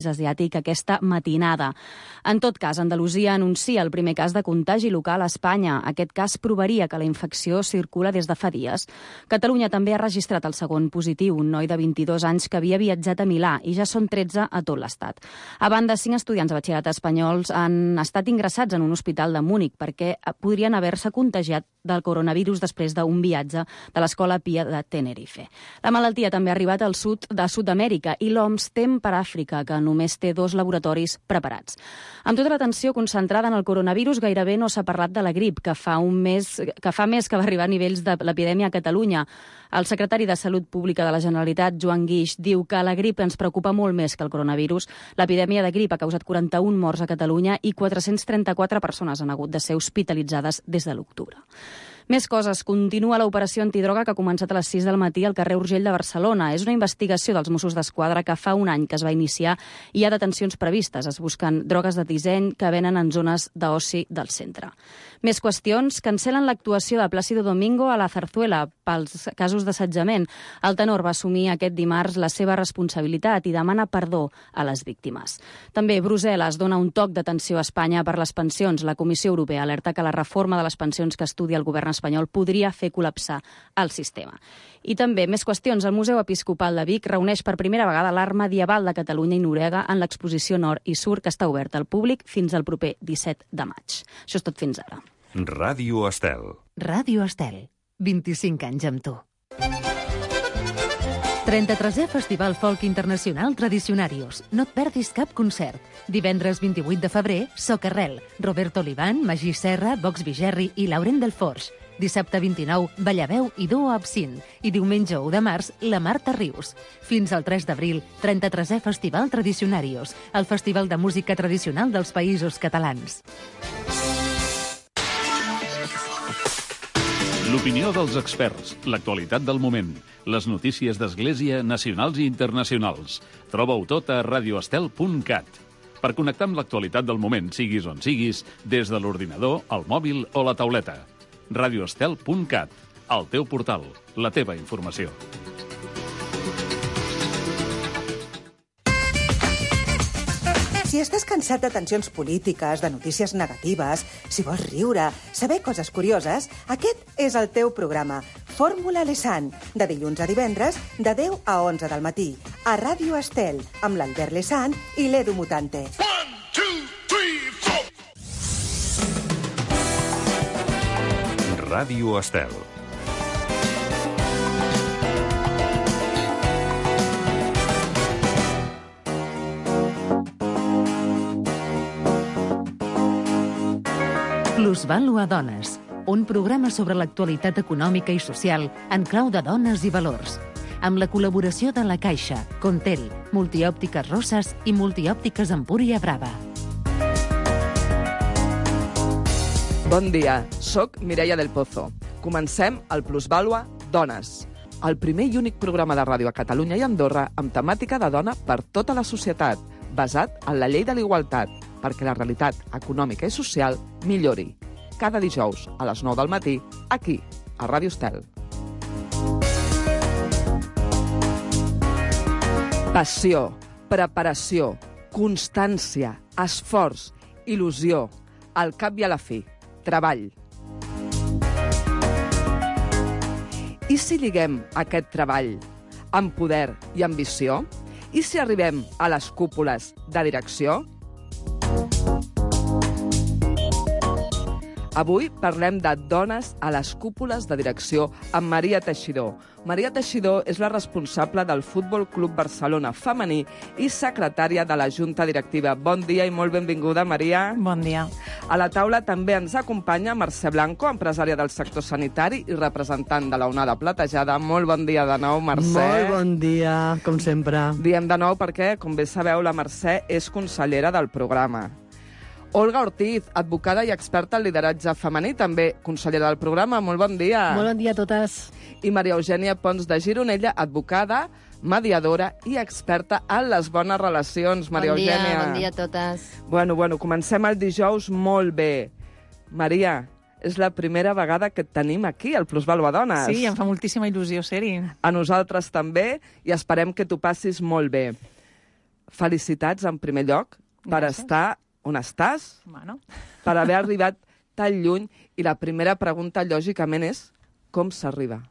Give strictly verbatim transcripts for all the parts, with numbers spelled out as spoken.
asiàtic aquesta matinada. En tot cas, Andalusia anuncia el primer cas de contagi local a Espanya. Aquest cas provaria que la infecció circula des de fa dies. Catalunya també ha registrat el segon positiu, un noi de vint-i-dos anys que havia viatjat a Milà, i ja són tretze a tot l'estat. A banda, cinc estudiants de batxillerat espanyols han estat ingressats en un hospital de Múnich perquè podrien haver-se contagiat del coronavirus després d'un viatge de l'Escola Pia de Tenerife. La malaltia també ha arribat al sud de Sud-amèrica i l'O M S tem per Àfrica, que només té dos laboratoris preparats. Amb tota l'atenció concentrada en el coronavirus, gairebé no s'ha parlat de la grip, que fa un mes que fa més que va arribar a nivells de l'epidèmia a Catalunya. El secretari de Salut Pública de la Generalitat, Joan Guix, diu que la grip ens preocupa molt més que el coronavirus. L'epidèmia de grip ha causat quaranta-un morts a Catalunya i quatre-cents trenta-quatre persones han hagut de ser hospitalitzades des de l'octubre. Més coses. Continua l'operació antidroga que ha començat a les sis del matí al carrer Urgell de Barcelona. És una investigació dels Mossos d'Esquadra que fa un any que es va iniciar i hi ha detencions previstes. Es busquen drogues de disseny que venen en zones d'oci del centre. Més qüestions. Cancel·len l'actuació de Plácido Domingo a la Zarzuela pels casos d'assetjament. El tenor va assumir aquest dimarts la seva responsabilitat i demana perdó a les víctimes. També Brussel·les dona un toc d'atenció a Espanya per les pensions. La Comissió Europea alerta que la reforma de les pensions que estudia el govern espanyol podria fer col·lapsar el sistema. I també més qüestions. El Museu Episcopal de Vic reuneix per primera vegada l'art medieval de Catalunya i Noruega en l'exposició Nord i Sur, que està oberta al públic fins al proper disset de maig. Això és tot fins ara. Ràdio Estel. Ràdio Estel. vint-i-cinc anys amb tu. trenta-tresè Festival Folk Internacional Tradicionarios. No et perdis cap concert. Divendres vint-i-vuit de febrer, Socarrel, Roberto Olivan, Magí Serra, Vox Vigerri i Laurent Delforge. Dissabte vint-i-nou, Ballaveu i Duo Absint. I diumenge u de març, la Marta Rius. Fins al tres d'abril, trenta-tresè Festival Tradicionarios, el festival de música tradicional dels Països Catalans. L'opinió dels experts, l'actualitat del moment, les notícies d'Església nacionals i internacionals. Troba-ho tot a radioestel punt cat. Per connectar amb l'actualitat del moment, siguis on siguis, des de l'ordinador, el mòbil o la tauleta. radioestel punt cat, el teu portal, la teva informació. Si estàs cansat de tensions polítiques, de notícies negatives, si vols riure, saber coses curioses, aquest és el teu programa. Fórmula Lesan, de dilluns a divendres, de deu a onze del matí, a Ràdio Estel, amb l'Albert Lesan i l'Edu Mutante. One, two, three, four. Ràdio Estel. Plusvàlua Dones, un programa sobre l'actualitat econòmica i social en clau de dones i valors. Amb la col·laboració de La Caixa, Contel, Multiòptiques Roses i Multiòptiques Empúria Brava. Bon dia, soc Mireia del Pozo. Comencem el Plusvàlua Dones, el primer i únic programa de ràdio a Catalunya i Andorra amb temàtica de dona per tota la societat, basat en la llei de l'igualtat, perquè la realitat econòmica i social millori. Cada dijous a les nou del matí, aquí, a Ràdio Estel. Passió, preparació, constància, esforç, il·lusió, al cap i a la fi, treball. I si lliguem aquest treball amb poder i ambició? I si arribem a les cúpules de direcció? Avui parlem de dones a les cúpules de direcció amb Maria Teixidor. Maria Teixidor és la responsable del Futbol Club Barcelona femení i secretària de la Junta Directiva. Bon dia i molt benvinguda, Maria. Bon dia. A la taula també ens acompanya Mercè Blanco, empresària del sector sanitari i representant de la Onada Platejada. Molt bon dia de nou, Mercè. Molt bon dia, com sempre. Diem de nou perquè, com bé sabeu, la Mercè és consellera del programa. Olga Ortiz, advocada i experta en lideratge femení, també consellera del programa. Molt bon dia. Molt bon dia a totes. I Maria Eugènia Pons de Gironella, advocada, mediadora i experta en les bones relacions. Maria bon dia, Eugènia. Bon dia a totes. Bueno, bueno, comencem el dijous molt bé. Maria, és la primera vegada que et tenim aquí, al Plusvàlua Dones. Sí, em fa moltíssima il·lusió ser-hi. A nosaltres també, i esperem que t'ho passis molt bé. felicitats en primer lloc per Gràcies. estar on estàs, Bueno. per haver arribat tan lluny, i la primera pregunta, lògicament, és com s'arriba?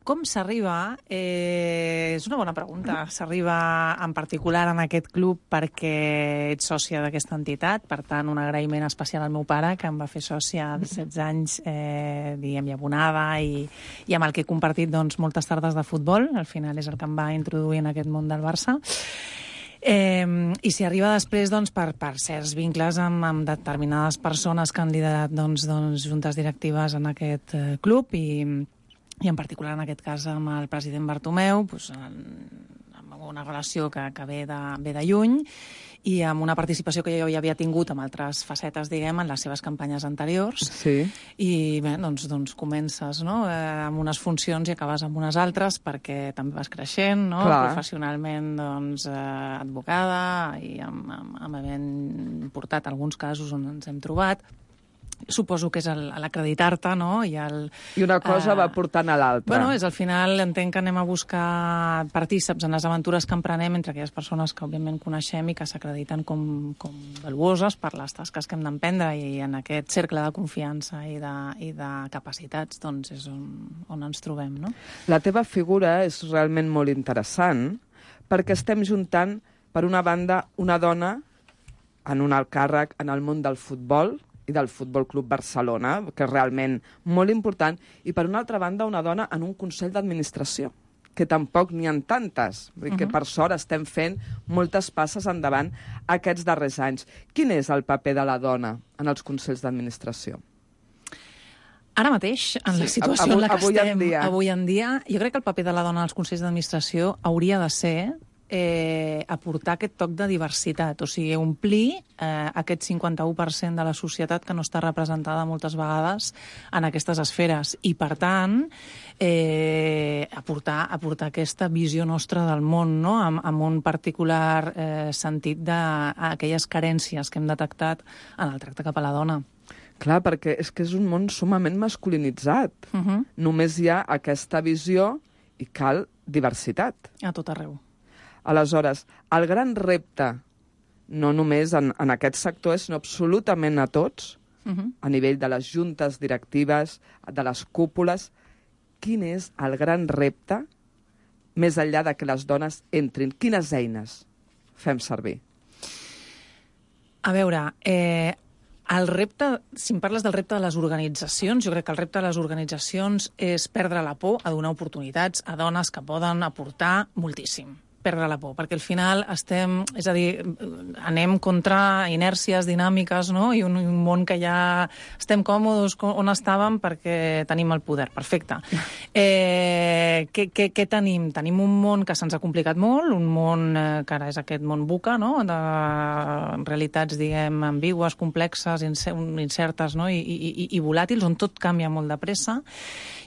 Com s'arriba? Eh, és una bona pregunta. S'arriba en particular en aquest club perquè ets sòcia d'aquesta entitat, per tant, un agraïment especial al meu pare, que em va fer sòcia de setze anys, eh, diguem, i abonada, i, i amb el que he compartit doncs, moltes tardes de futbol. Al final és el que em va introduir en aquest món del Barça. Eh, I s'hi arriba després doncs, per, per certs vincles amb, amb determinades persones que han liderat doncs, doncs, juntes directives en aquest eh, club, i i en particular en aquest cas amb el president Bartomeu, doncs, amb una relació que, que ve, de, ve de lluny, i amb una participació que jo ja havia tingut amb altres facetes, diguem, en les seves campanyes anteriors. Sí. I bé, doncs, doncs comences, no?, eh, amb unes funcions i acabes amb unes altres, perquè també vas creixent, no?, Clar. professionalment, doncs, eh, advocada, i amb, amb, amb havent portat alguns casos on ens hem trobat. Suposo que és el- l'acreditar-te, no?, i el... I una cosa eh, va portant a l'altra. Bueno, és al final, entenc que anem a buscar partíceps en les aventures que emprenem entre aquelles persones que òbviament coneixem i que s'acrediten com, com valuoses per les tasques que hem d'emprendre, i en aquest cercle de confiança i de, i de capacitats doncs és on, on ens trobem, no? La teva figura és realment molt interessant perquè estem juntant, per una banda, una dona en un alt càrrec en el món del futbol i del Futbol Club Barcelona, que és realment molt important, i per una altra banda una dona en un consell d'administració, que tampoc n'hi ha tantes. Vull dir que per sort estem fent moltes passes endavant aquests darrers anys. Quin és el paper de la dona en els consells d'administració? Ara mateix, en la Sí, situació avui- en la que avui en estem dia. avui en dia, jo crec que el paper de la dona als consells d'administració hauria de ser eh, aportar aquest toc de diversitat, o sigui, omplir eh, aquest cinquanta-u per cent de la societat que no està representada moltes vegades en aquestes esferes, i per tant eh, aportar, aportar aquesta visió nostra del món, no?, amb, amb un particular eh, sentit d'aquelles carències que hem detectat en el tracte cap a la dona. Clar, perquè és que és un món sumament masculinitzat. Uh -huh. Només hi ha aquesta visió i cal diversitat. A tot arreu. Aleshores, el gran repte, no només en, en aquest sector, sinó absolutament a tots, Uh -huh. a nivell de les juntes directives, de les cúpules, quin és el gran repte, més enllà de que les dones entrin? Quines eines fem servir? A veure, eh, el repte, si em parles del repte de les organitzacions, jo crec que el repte de les organitzacions és perdre la por a donar oportunitats a dones que poden aportar moltíssim. Perdre la por, perquè al final estem, és a dir, anem contra inèrcies dinàmiques, no?, i un, un món que ja estem còmodes on estàvem perquè tenim el poder. Perfecte. Eh, què, què, què tenim? Tenim un món que se'ns ha complicat molt, un món eh, que ara és aquest món buca, no?, de realitats, diguem, ambigües, complexes, incertes, no?, i, i, i volàtils, on tot canvia molt de pressa,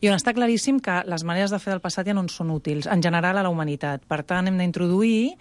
i on està claríssim que les maneres de fer del passat ja no en són útils, en general a la humanitat. Per tant, hem d'introduir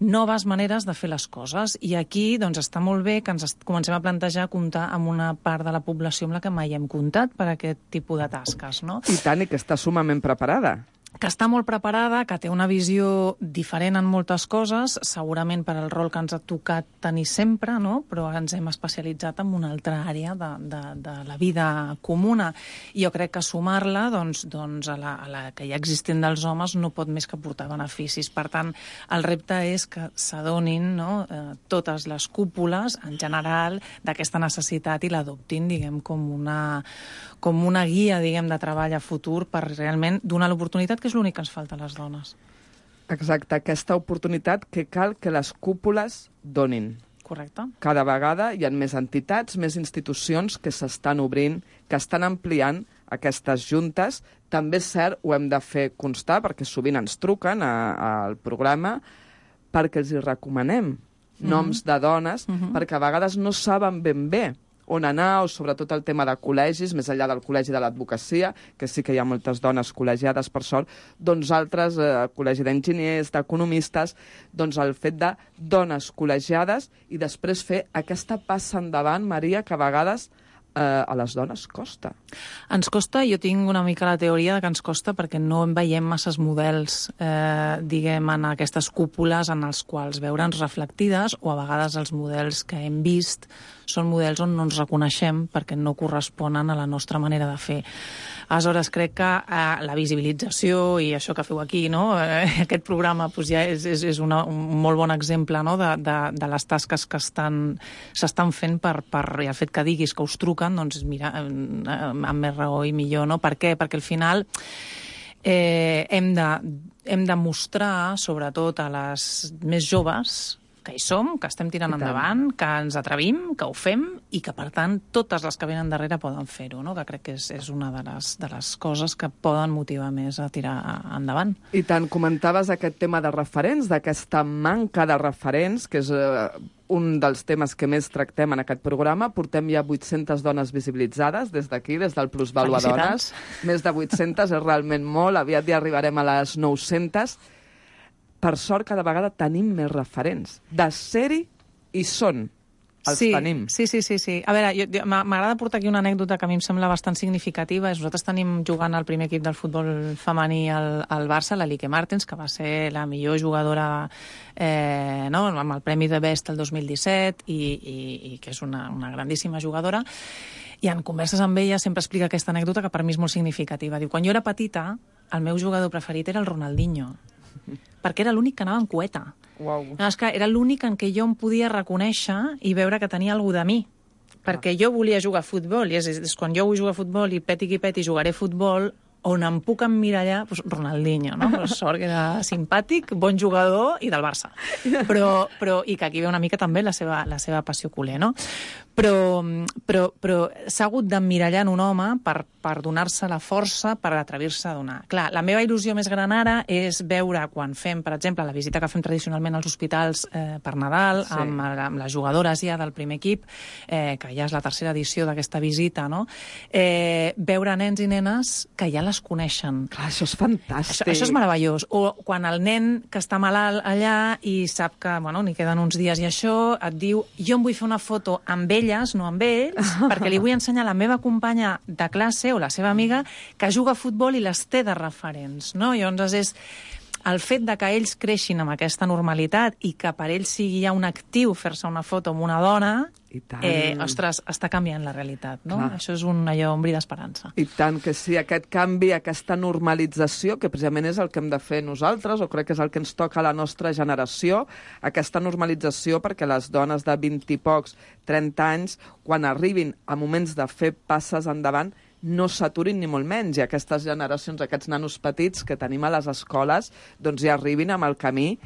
noves maneres de fer les coses, i aquí doncs, està molt bé que ens comencem a plantejar comptar amb una part de la població amb la que mai hem comptat per aquest tipus de tasques, no? I tant, i que està sumament preparada. Que està molt preparada, que té una visió diferent en moltes coses, segurament per al rol que ens ha tocat tenir sempre, no?, però ens hem especialitzat en una altra àrea de, de, de la vida comuna. I jo crec que sumar-la doncs, doncs a, la, a la que ja existent dels homes no pot més que portar beneficis. Per tant, el repte és que s'adonin, no?, eh, totes les cúpules, en general, d'aquesta necessitat i l'adoptin, diguem, com una, com una guia, diguem, de treball a futur per realment donar l'oportunitat, que és l'únic que ens falta a les dones. Exacte, aquesta oportunitat que cal que les cúpules donin. Correcte. Cada vegada hi ha més entitats, més institucions que s'estan obrint, que estan ampliant aquestes juntes. També és cert, ho hem de fer constar, perquè sovint ens truquen a, al programa, perquè els hi recomanem noms de dones, Mhm. perquè a vegades no saben ben bé on anar, o sobretot el tema de col·legis, més enllà del col·legi de l'advocacia, que sí que hi ha moltes dones col·legiades, per sort, doncs altres, eh, col·legi d'enginyers, d'economistes, doncs el fet de dones col·legiades i després fer aquesta passa endavant, Maria, que a vegades eh, a les dones costa. Ens costa, jo tinc una mica la teoria de que ens costa perquè no en veiem masses models, eh, diguem, en aquestes cúpules en els quals veure'ns reflectides, o a vegades els models que hem vist són models on no ens reconeixem perquè no corresponen a la nostra manera de fer. Aleshores, crec que eh, la visibilització i això que feu aquí, no? eh, aquest programa doncs, ja és, és, és una, un molt bon exemple, no? de, de, de les tasques que estan, s'estan fent per, per i el fet que diguis que us truquen, doncs mira, amb més raó i millor, no? Per què? Perquè al final eh, hem, de, hem de mostrar, sobretot a les més joves, que hi som, que estem tirant endavant, que ens atrevim, que ho fem i que, per tant, totes les que venen darrere poden fer-ho, no? Que crec que és, és una de les, de les coses que poden motivar més a tirar endavant. I tant, comentaves aquest tema de referents, d'aquesta manca de referents, que és eh, un dels temes que més tractem en aquest programa. Portem ja vuit-centes dones visibilitzades des d'aquí, des del Plus Vàlua Dones. Més de vuit-centes és realment molt, aviat ja arribarem a les nou-centes. Per sort, cada vegada tenim més referents. De ser-hi i són. Els sí, tenim. Sí, sí, sí, sí. A veure, jo, jo, m'agrada portar aquí una anècdota que a mi em sembla bastant significativa. Nosaltres tenim jugant al primer equip del futbol femení al, al Barça, la Lique Martens, que va ser la millor jugadora eh, no? amb el Premi de Best el dos mil disset i, i, i que és una, una grandíssima jugadora. I en converses amb ella sempre explica aquesta anècdota que per mi és molt significativa. Diu, quan jo era petita, el meu jugador preferit era el Ronaldinho, perquè era l'únic que anava en cueta. Uau. No, és que era l'únic en què jo em podia reconèixer i veure que tenia alguna de mi. Perquè jo volia jugar a futbol, i és, és quan jo vull jugar a futbol i peti qui peti jugaré a futbol, on em puc emmirallar, doncs Ronaldinho, no? Pues sort que era simpàtic, bon jugador i del Barça. Però, però, i que aquí ve una mica també la seva, la seva passió culer, no? Però, però, però s'ha hagut d'emmirallar en un home per, per donar-se la força per atrevir-se a donar. Clar, la meva il·lusió més gran ara és veure quan fem, per exemple, la visita que fem tradicionalment als hospitals eh, per Nadal, sí. amb, amb les jugadores ja del primer equip, eh, que ja és la tercera edició d'aquesta visita, no? Eh, veure nens i nenes que ja les coneixen. Clar, això és fantàstic. Això, això és meravellós. O quan el nen que està malalt allà i sap que, bueno, n'hi queden uns dies i això, et diu, jo em vull fer una foto amb elles, no amb ells, perquè li vull ensenyar a la meva companya de classe o la seva amiga que juga a futbol i les té de referents, no? I llavors és el fet de que ells creixin amb aquesta normalitat i que per ells sigui ja un actiu fer-se una foto amb una dona, eh, ostres, està canviant la realitat, no? Clar. Això és un allò ombri d'esperança. I tant que sí, aquest canvi, aquesta normalització, que precisament és el que hem de fer nosaltres, o crec que és el que ens toca a la nostra generació, aquesta normalització perquè les dones de vint i pocs, trenta anys, quan arribin a moments de fer passes endavant, no s'aturin ni molt menys, i aquestes generacions, aquests nanos petits que tenim a les escoles, doncs ja arribin amb el camí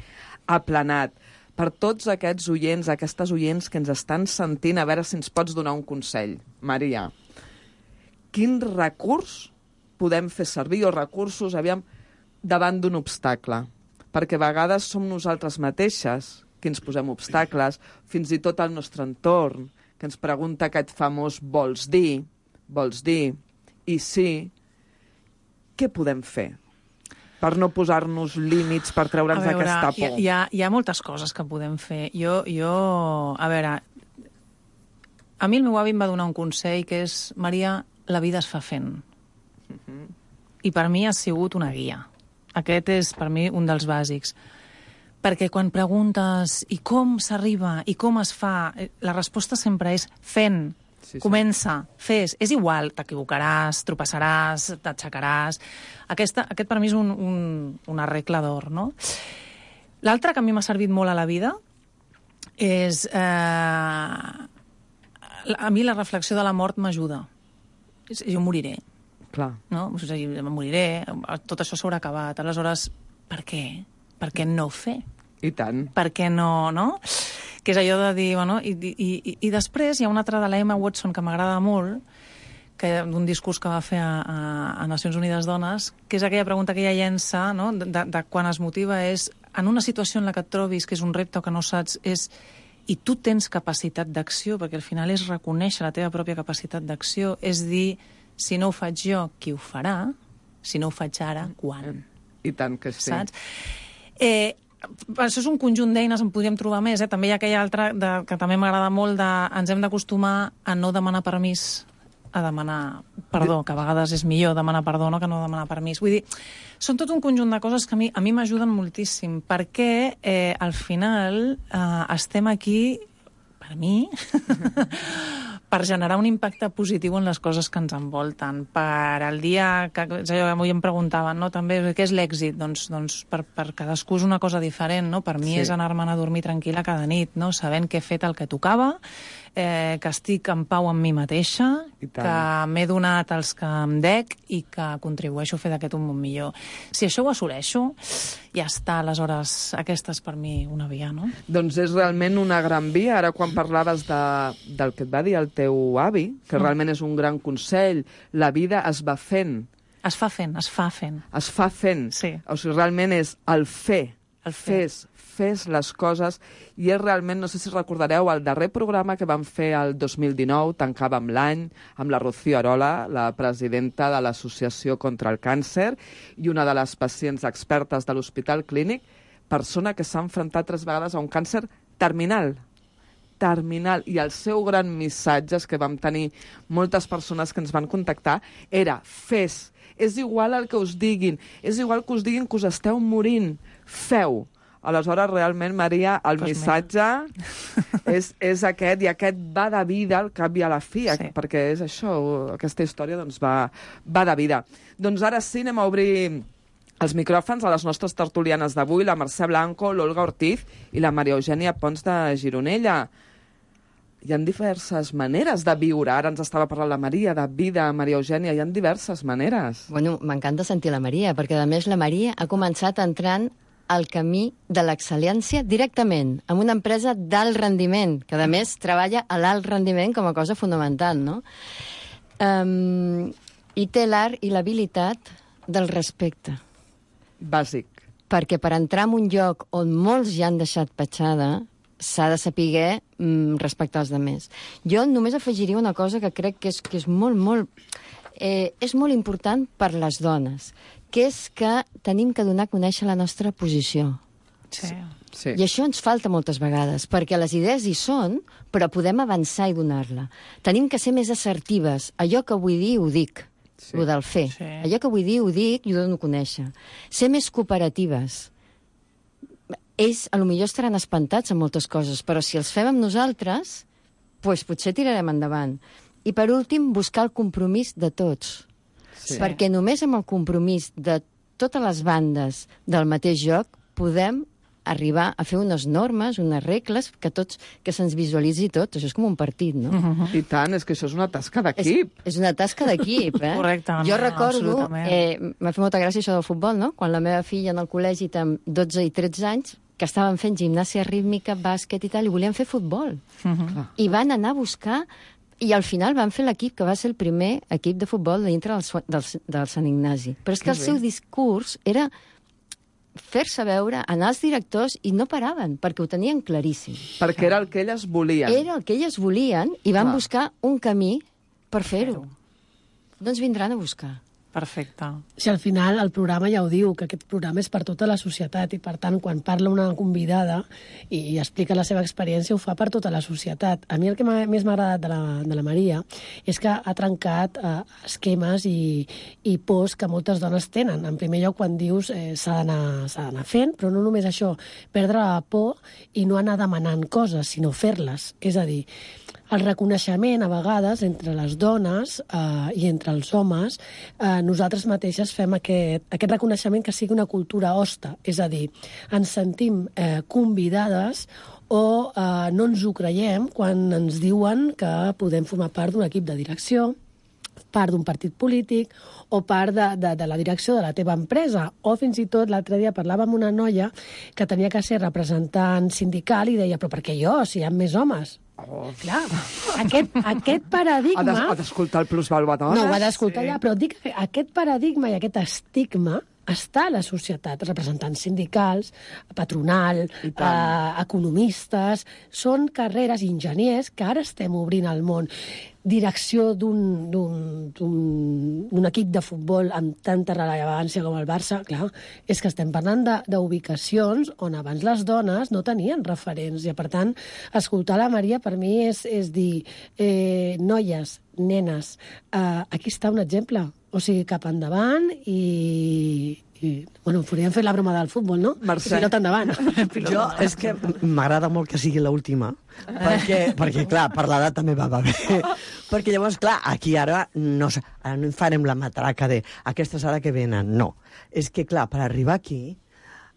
aplanat. Per tots aquests oients, aquestes oients que ens estan sentint, a veure si ens pots donar un consell. Maria, quin recurs podem fer servir, o recursos, aviam, davant d'un obstacle? Perquè a vegades som nosaltres mateixes que ens posem obstacles, fins i tot el nostre entorn, que ens pregunta aquest famós vols dir, vols dir, i sí, què podem fer per no posar-nos límits, per treure'ns aquesta por? Hi ha, hi ha moltes coses que podem fer. Jo, jo, a veure, a mi el meu avi em va donar un consell que és, Maria, la vida es fa fent. Uh-huh. I per mi ha sigut una guia. Aquest és, per mi, un dels bàsics. Perquè quan preguntes i com s'arriba i com es fa, la resposta sempre és fent. Sí, sí. Comença, fes. És igual, t'equivocaràs, tropeçaràs, t'aixecaràs. Aquesta, aquest per mi és un, un, una regla d'or, no? L'altre que a mi m'ha servit molt a la vida és... Eh, a mi la reflexió de la mort m'ajuda. Jo moriré. Clar. No? O sigui, moriré, tot això s'haurà acabat. Aleshores, per què? Per què no fer? I tant. Per què no, no? Que és allò de dir, bueno, i, i, i, i després hi ha una altra de la Emma Watson que m'agrada molt, que d'un discurs que va fer a, a, a Nacions Unides Dones, que és aquella pregunta que ella llença, no?, de, de, de quan es motiva, és, en una situació en la que et trobis, que és un repte o que no saps, és, i tu tens capacitat d'acció, perquè al final és reconèixer la teva pròpia capacitat d'acció, és dir, si no ho faig jo, qui ho farà? Si no ho faig ara, quan? I tant que sí. Saps? Eh, això és un conjunt d'eines, en podríem trobar més, eh? També hi ha aquella altra de, que també m'agrada molt, de ens hem d'acostumar a no demanar permís a demanar perdó, que a vegades és millor demanar perdó no que no demanar permís. Vull dir, són tot un conjunt de coses que a mi, a mi m'ajuden moltíssim, perquè eh, al final eh, estem aquí, per mi, per generar un impacte positiu en les coses que ens envolten. Per al dia que, avui em preguntaven, no, també, què és l'èxit? Doncs, doncs per, per cadascú és una cosa diferent, no? Per mi sí. És anar-me'n a dormir tranquil·la cada nit, no? Sabent que he fet el que tocava, eh, que estic en pau amb mi mateixa, que m'he donat els que em dec i que contribueixo a fer d'aquest un món millor. Si això ho assoleixo, ja està, aleshores, aquesta és per mi una via, no? Doncs és realment una gran via. Ara, quan parlaves de, del que et va dir el teu avi, que mm. realment és un gran consell, la vida es va fent. Es fa fent, es fa fent. Es fa fent. Sí. O sigui, realment és el fer. El fer. Fes, fes les coses, i és realment, no sé si recordareu, el darrer programa que vam fer el dos mil dinou, tancàvem l'any, amb la Rocío Arola, la presidenta de l'Associació contra el Càncer, i una de les pacients expertes de l'Hospital Clínic, persona que s'ha enfrontat tres vegades a un càncer terminal. Terminal. I el seu gran missatge, és que vam tenir moltes persones que ens van contactar, era fes. És igual el que us diguin, és igual que us diguin que us esteu morint. Feu. Aleshores, realment, Maria, el pues missatge és, és aquest, i aquest va de vida al cap i a la fi, sí. Perquè és això, aquesta història doncs, va, va de vida. Doncs ara sí, anem a obrir els micròfons a les nostres tertulianes d'avui, la Mercè Blanco, l'Olga Ortiz i la Maria Eugènia Pons de Gironella. Hi ha diverses maneres de viure. Ara ens estava parlant la Maria, de vida, Maria Eugènia. Hi ha diverses maneres. Bueno, m'encanta sentir la Maria, perquè a més la Maria ha començat entrant al camí de l'excel·lència directament, amb una empresa d'alt rendiment, que a més treballa a l'alt rendiment com a cosa fonamental, no? Um, I té l'art i l'habilitat del respecte. Bàsic. Perquè per entrar en un lloc on molts ja han deixat petjada, s'ha de saber mm, respectar els altres. Jo només afegiria una cosa que crec que és, que és molt, molt... Eh, és molt important per les dones, que és que tenim que donar a conèixer la nostra posició. Sí. Sí. I això ens falta moltes vegades, perquè les idees hi són, però podem avançar i donar-la. Tenim que ser més assertives. Allò que vull dir, ho dic. Sí. Lo del fer. Sí. Allò que vull dir, ho dic i ho dono a conèixer. Ser més cooperatives. Ells, a lo millor, estaran espantats amb moltes coses, però si els fem amb nosaltres, doncs potser tirarem endavant. I, per últim, buscar el compromís de tots. Sí. Perquè només amb el compromís de totes les bandes del mateix joc podem arribar a fer unes normes, unes regles, que tots que se'ns visualitzi tot. Això és com un partit, no? Uh-huh. I tant, és que això és una tasca d'equip. És, és una tasca d'equip, eh? Correcte. Jo recordo, eh, m'ha fet molta gràcia això del futbol, no? Quan la meva filla en el col·legi, amb dotze i tretze anys, que estaven fent gimnàsia rítmica, bàsquet i tal, i volien fer futbol. Uh-huh. I van anar a buscar, i al final van fer l'equip que va ser el primer equip de futbol dintre del, del, del Sant Ignasi. Però és que, que el bé. seu discurs era fer-se veure, anar als directors, i no paraven, perquè ho tenien claríssim. Perquè era el que elles volien. Era el que elles volien, i van Clar. buscar un camí per fer-ho. No ens vindran a buscar. Perfecte. Si al final el programa ja ho diu, que aquest programa és per tota la societat, i per tant, quan parla una convidada i, i explica la seva experiència, ho fa per tota la societat. A mi el que més m'ha agradat de la, de la Maria és que ha trencat eh, esquemes i, i pors que moltes dones tenen. En primer lloc, quan dius eh, s'ha d'anar fent, però no només això, perdre la por i no anar demanant coses, sinó fer-les. És a dir, el reconeixement, a vegades, entre les dones eh, i entre els homes, eh, nosaltres mateixes fem aquest, aquest reconeixement que sigui una cultura hoste. És a dir, ens sentim eh, convidades o eh, no ens ho creiem quan ens diuen que podem formar part d'un equip de direcció, part d'un partit polític o part de, de, de la direcció de la teva empresa. O fins i tot l'altre dia parlava amb una noia que tenia que ser representant sindical i deia, però per què jo, si hi ha més homes? Oh. Clar, aquest, aquest paradigma... Ha d'escoltar el plusvàlua dones. No, ho ha d'escoltar sí. ja, però dic que aquest paradigma i aquest estigma està a la societat, representants sindicals, patronal, eh, economistes, són carreres, enginyers, que ara estem obrint al món. Direcció d'un equip de futbol amb tanta rellevància com el Barça, clar, és que estem parlant d'ubicacions on abans les dones no tenien referents, i per tant, escoltar la Maria per mi és, és dir, eh, noies, nenes, eh, aquí està un exemple, o sigui, cap endavant i... I, bueno, podríem fer la broma del futbol, no? Mercè. Pilota endavant. Jo, és que m'agrada molt que sigui l'última, perquè, perquè, clar, per l'edat també va, va bé. Perquè llavors, clar, aquí ara no, ara no farem la matraca de aquestes ara que venen, no. És que, clar, per arribar aquí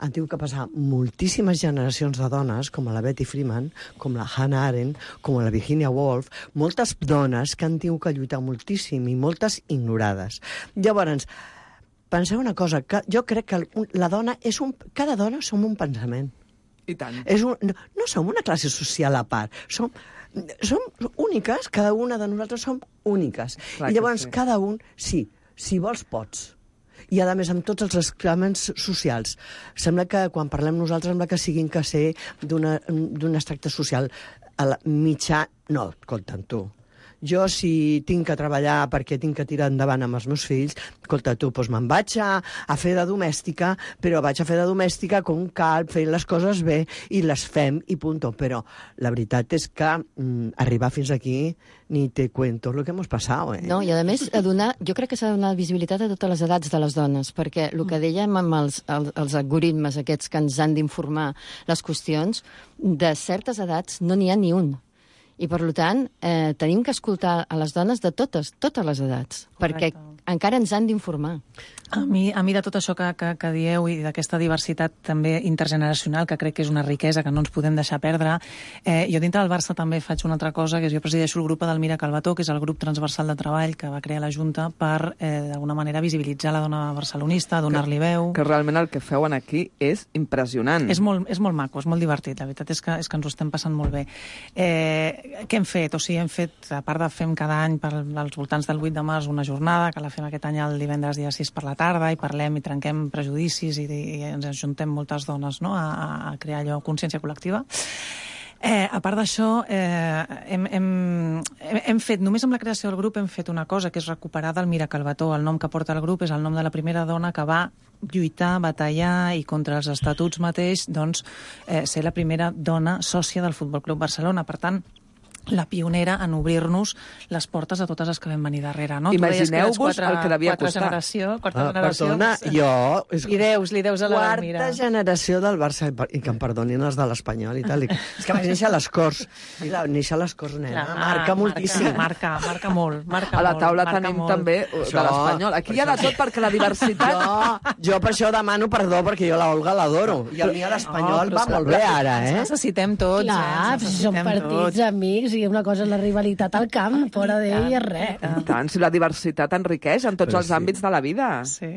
han tingut que passar moltíssimes generacions de dones, com la Betty Freeman, com la Hannah Arendt, com la Virginia Woolf, moltes dones que han tingut que lluitar moltíssim i moltes ignorades. Llavors, penseu una cosa, que jo crec que la dona és un... Cada dona som un pensament. I tant. És un, no, no som una classe social a part. Som, som úniques, cada una de nosaltres som úniques. Clar I llavors sí. cada un, sí, si vols pots. I a més amb tots els exclaments socials. Sembla que quan parlem nosaltres sembla que siguin que ser d'un extracte social. A la mitjà, no, escolta'm tu. Jo, si tinc que treballar perquè tinc que tirar endavant amb els meus fills, escolta, tu, doncs me'n vaig a, a fer de domèstica, però vaig a fer de domèstica com cal, fent les coses bé, i les fem, i punto. Però la veritat és que mm, arribar fins aquí ni te cuento lo que hemos pasado, eh? No, i a més, a donar, jo crec que s'ha de donar visibilitat a totes les edats de les dones, perquè el que dèiem amb els, els, els algoritmes aquests que ens han d'informar les qüestions, de certes edats no n'hi ha ni un. I, per tant, eh, tenim que escoltar a les dones de totes, totes les edats, Correcte. Perquè encara ens han d'informar. A mi, a mi de tot això que, que, que dieu i d'aquesta diversitat també intergeneracional, que crec que és una riquesa que no ens podem deixar perdre, eh, jo dintre del Barça també faig una altra cosa, que és jo presideixo el grup d'Elmira Calvetó, que és el grup transversal de treball que va crear la Junta per, eh, d'alguna manera, visibilitzar la dona barcelonista, donar-li veu... Que realment el que feuen aquí és impressionant. És molt, és molt maco, és molt divertit, la veritat és que, és que ens ho estem passant molt bé. Eh, què hem fet? O sigui, hem fet, a part de fem cada any per, als voltants del vuit de març una jornada, que la fem aquest any el divendres dia sis per la tarda, i parlem i trenquem prejudicis i, i ens ajuntem moltes dones, no?, a, a crear allò, consciència col·lectiva. Eh, a part d'això, eh, hem, hem, hem fet, només amb la creació del grup hem fet una cosa, que és recuperar d'Elmira Calvetó. El nom que porta el grup és el nom de la primera dona que va lluitar, batallar i contra els estatuts mateix, doncs, eh, ser la primera dona sòcia del Futbol Club Barcelona. Per tant, la pionera en obrir-nos les portes a totes les que vam venir darrere, no? Imagineu-vos el que devia quatre costar. Generació, quarta Ah, generació. perdona, jo... És Li deus, li deus a la Elmira. Quarta generació del Barça, i que em perdonin els de l'Espanyol i tal. I, és que vaig néixer a les Corts. I la, néixer a les Corts, nena, Clar, marca moltíssim. Marca, marca molt, marca A la molt, taula marca tenim molt. també de l'Espanyol. Aquí hi ha de tot perquè la diversitat... Jo, jo per això demano perdó, perquè jo la Olga l'adoro. I el mi a l'Espanyol No, va molt bé ara, Ens eh? necessitem tots, Clar, eh? Ens si són necessitem partits, tots. amics, i una cosa és la rivalitat al camp, fora d'ell és res. I tant, si la diversitat enriqueix en tots Però els sí. àmbits de la vida. Sí.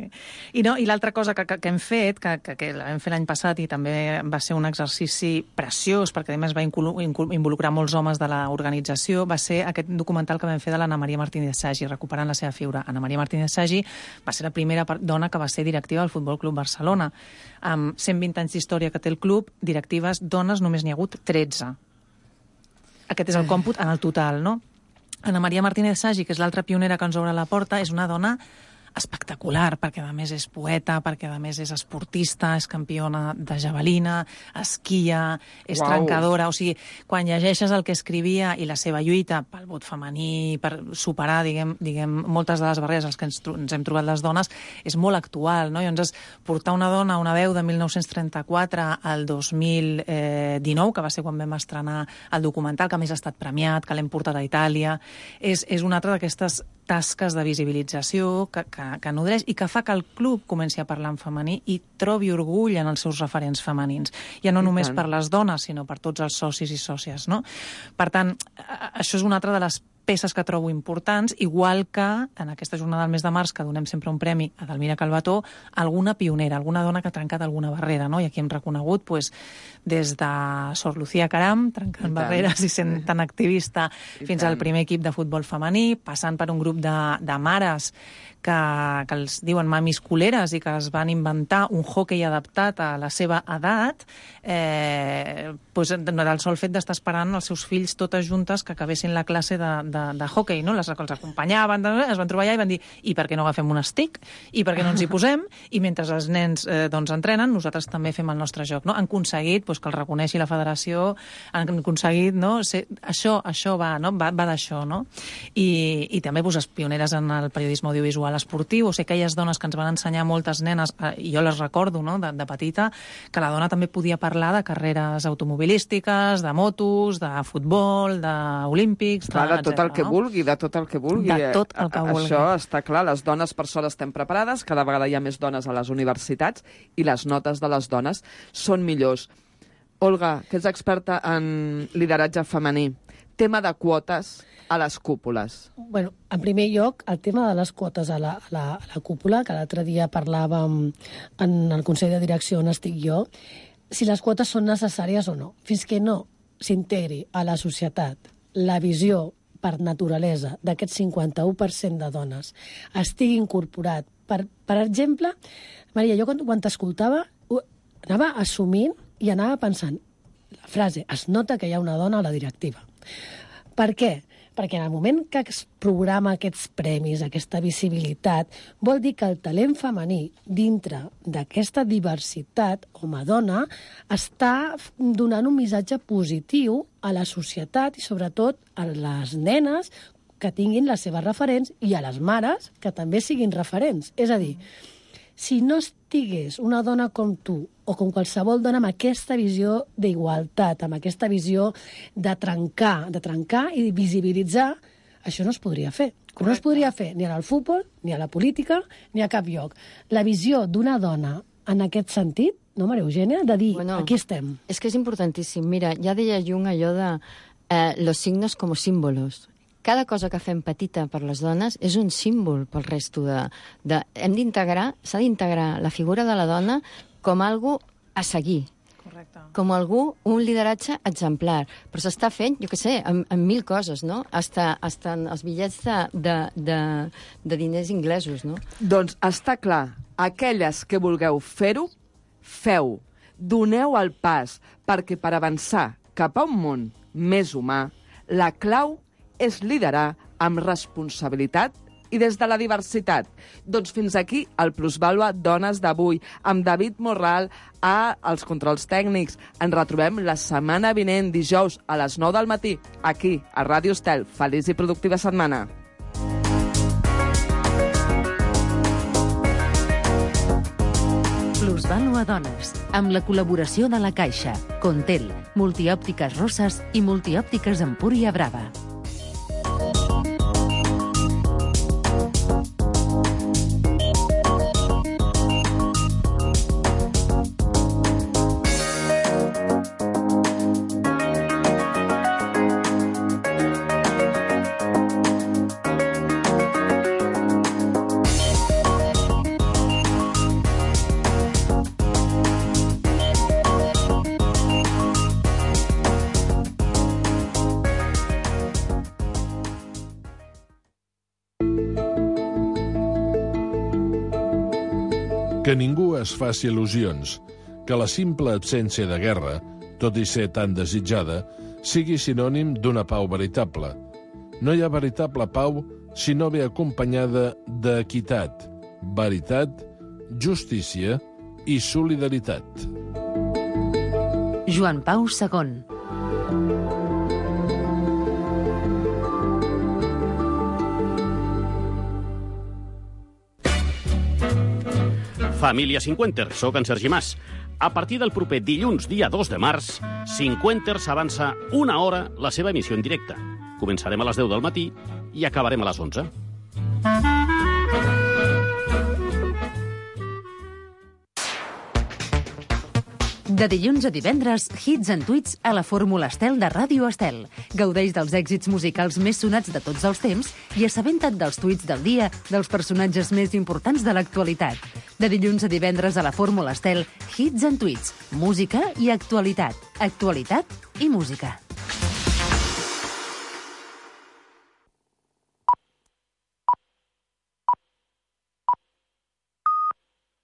I, no, i l'altra cosa que, que, que hem fet, que, que, que la vam fer l'any passat i també va ser un exercici preciós, perquè a més va inclu- inclu- involucrar molts homes de l'organització, va ser aquest documental que vam fer de l'Anna Maria Martínez Sagi, recuperant la seva figura. Anna Maria Martínez Sagi va ser la primera per- dona que va ser directiva del Futbol Club Barcelona. Amb cent vint anys d'història que té el club, directives dones només n'hi ha hagut tretze. Aquest és el còmput en el total, no? Anna Maria Martínez Sagi, que és l'altra pionera que ens obre la porta, és una dona espectacular, perquè a més és poeta, perquè a més és esportista, és campiona de javelina, esquia, és Uau. trencadora. O sigui, quan llegeixes el que escrivia i la seva lluita pel vot femení, per superar, diguem, diguem moltes de les barreres als que ens, tro- ens hem trobat les dones, és molt actual, no? Llavors, portar una dona, una veu de mil nou-cents trenta-quatre al dos mil dinou, que va ser quan vam estrenar el documental, que a més ha estat premiat, que l'hem portat a Itàlia, és, és una altra d'aquestes tasques de visibilització que, que, que nodreix i que fa que el club comenci a parlar en femení i trobi orgull en els seus referents femenins. Ja no I només tant. per les dones, sinó per tots els socis i sòcies, no? Per tant, a- això és una altra de les peces que trobo importants, igual que en aquesta jornada del mes de març, que donem sempre un premi a Delmira Calvetó, alguna pionera, alguna dona que ha trencat alguna barrera, no? I aquí hem reconegut pues, des de Sor Lucía Caram, trencant barreres i sent tan activista, I fins tant. al primer equip de futbol femení, passant per un grup de, de mares que, que els diuen mamis culeres i que es van inventar un hoquei adaptat a la seva edat, eh, pues, del sol fet d'estar esperant els seus fills totes juntes que acabessin la classe de, de, de hoquei, no? Les, els acompanyaven, es van trobar allà i van dir i per què no agafem un stick? I per què no ens hi posem? I mentre els nens eh, doncs, entrenen, nosaltres també fem el nostre joc. No? Han aconseguit pues, que el reconeixi la federació, han aconseguit, no? Ser, això, això va, no? va, va d'això, no? I, i també pues, les pioneres en el periodisme audiovisual esportiu, o sigui, aquelles dones que ens van ensenyar moltes nenes, eh, i jo les recordo no? de, de petita, que la dona també podia parlar de carreres automobilístiques, de motos, de futbol, d'olímpics, clar, de, de tot el que no? vulgui, de tot el que vulgui. De tot el que vulgui. Això està clar, les dones per sort estem preparades, cada vegada hi ha més dones a les universitats i les notes de les dones són millors. Olga, que ets experta en lideratge femení, tema de quotes a les cúpules. Bueno, en primer lloc, el tema de les quotes a la, a la, a la cúpula, que l'altre dia parlàvem en el Consell de Direcció on estic jo, si les quotes són necessàries o no. Fins que no s'integri a la societat la visió per naturalesa d'aquest cinquanta-u per cent de dones estigui incorporat. Per, per exemple, Maria, jo quan, quan t'escoltava anava assumint i anava pensant la frase, es nota que hi ha una dona a la directiva. Per què? Perquè en el moment que es programa aquests premis, aquesta visibilitat, vol dir que el talent femení dintre d'aquesta diversitat home-dona està donant un missatge positiu a la societat i sobretot a les nenes que tinguin les seves referents i a les mares que també siguin referents. És a dir, si no estigués una dona com tu o com qualsevol dona amb aquesta visió d'igualtat, amb aquesta visió de trencar, de trencar i visibilitzar, això no es podria fer. Com no es podria fer ni al futbol, ni a la política, ni a cap lloc. La visió d'una dona en aquest sentit, no, Maria Eugènia, de dir, bueno, aquí estem. És que és importantíssim. Mira, ja deia Jung allò de eh, los signos como símbolos. Cada cosa que fem petita per les dones és un símbol pel resto de... de hem d'integrar, s'ha d'integrar la figura de la dona com algo a seguir. Correcte. Com algú, un lideratge exemplar. Però s'està fent, jo què sé, amb, amb mil coses, no? Hasta, hasta els bitllets de, de, de, de diners inglesos, no? Doncs està clar, aquelles que vulgueu fer-ho, feu. Doneu el pas, perquè per avançar cap a un món més humà, la clau és liderar amb responsabilitat i des de la diversitat. Doncs fins aquí el Plusvàlua Dones d'avui, amb David Morral a els controls tècnics. Ens retrobem la setmana vinent, dijous, a les nou del matí, aquí, a Ràdio Estel. Feliç i productiva setmana. Plusvàlua Dones, amb la col·laboració de la Caixa, Contel, Multiòptiques Roses i Multiòptiques Empúria Brava. Que ningú es faci il·lusions, que la simple absència de guerra, tot i ser tan desitjada, sigui sinònim d'una pau veritable. No hi ha veritable pau si no ve acompanyada d'equitat, veritat, justícia i solidaritat. Joan Pau segon. Família Cinquenter, soc en Sergi Mas. A partir del proper dilluns, dia dos de març, Cinquenter s'avança una hora la seva emissió en directe. Començarem a les deu del matí i acabarem a les onze. De dilluns a divendres, hits and tweets a la Fórmula Estel de Ràdio Estel. Gaudeix dels èxits musicals més sonats de tots els temps i assabenta't dels tuits del dia dels personatges més importants de l'actualitat. De dilluns a divendres a la Fórmula Estel, hits and tweets, música i actualitat. Actualitat i música.